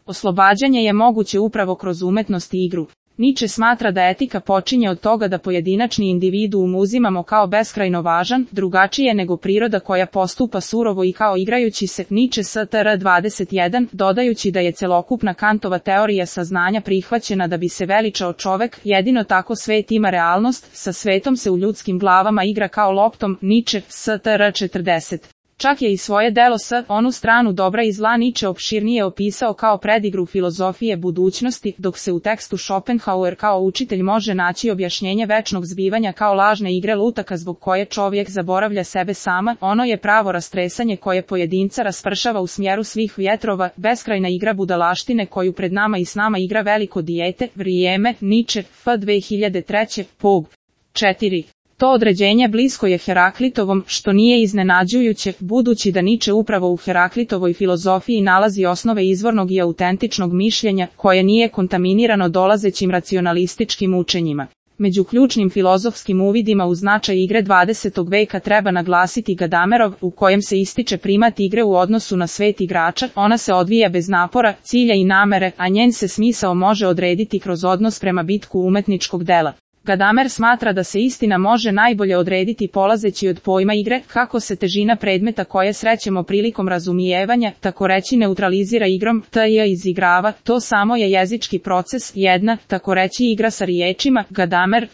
Oslobađanje je moguće upravo kroz umetnost i igru. Nietzsche smatra da etika počinje od toga da pojedinačni individuum uzimamo kao beskrajno važan, drugačije nego priroda koja postupa surovo i kao igrajući se. Nietzsche Str. 21, dodajući da je celokupna Kantova teorija saznanja prihvaćena da bi se veličao čovek, jedino tako svet ima realnost, sa svetom se u ljudskim glavama igra kao loptom. Nietzsche Str. 40. Čak je i svoje delo S, onu stranu dobra i zla, Nietzsche opširnije opisao kao predigru filozofije budućnosti, dok se u tekstu Schopenhauer kao učitelj može naći objašnjenje večnog zbivanja kao lažne igre lutaka zbog koje čovjek zaboravlja sebe sama. Ono je pravo rastresanje koje pojedinca raspršava u smjeru svih vjetrova, beskrajna igra budalaštine koju pred nama i s nama igra veliko dijete, vrijeme. Nietzsche F. 2003. Pog. 4. To određenje blisko je Heraklitovom, što nije iznenađujuće, budući da Nietzsche upravo u Heraklitovoj filozofiji nalazi osnove izvornog i autentičnog mišljenja, koje nije kontaminirano dolazećim racionalističkim učenjima. Među ključnim filozofskim uvidima u značaj igre 20. veka treba naglasiti Gadamerov, u kojem se ističe primat igre u odnosu na svet igrača. Ona se odvija bez napora, cilja i namere, a njen se smisao može odrediti kroz odnos prema bitku umetničkog dela. Gadamer smatra da se istina može najbolje odrediti polazeći od pojma igre, kako se težina predmeta koje srećemo prilikom razumijevanja, tako reći neutralizira igrom, izigrava, to samo je jezički proces, jedna, tako reći igra sa riječima. Gadamer,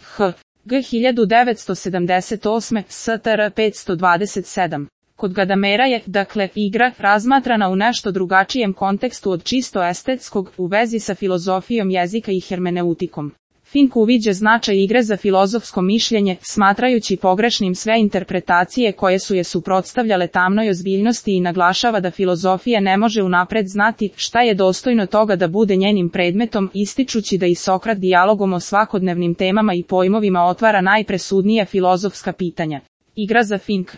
G. 1978, Str. 527. Kod Gadamera je, dakle, igra, razmatrana u nešto drugačijem kontekstu od čisto estetskog, u vezi sa filozofijom jezika i hermeneutikom. Fink uviđa značaj igre za filozofsko mišljenje, smatrajući pogrešnim sve interpretacije koje su je suprotstavljale tamnoj ozbiljnosti i naglašava da filozofija ne može unapred znati šta je dostojno toga da bude njenim predmetom, ističući da i Sokrat dijalogom o svakodnevnim temama i pojmovima otvara najpresudnija filozofska pitanja. Igra za Fink.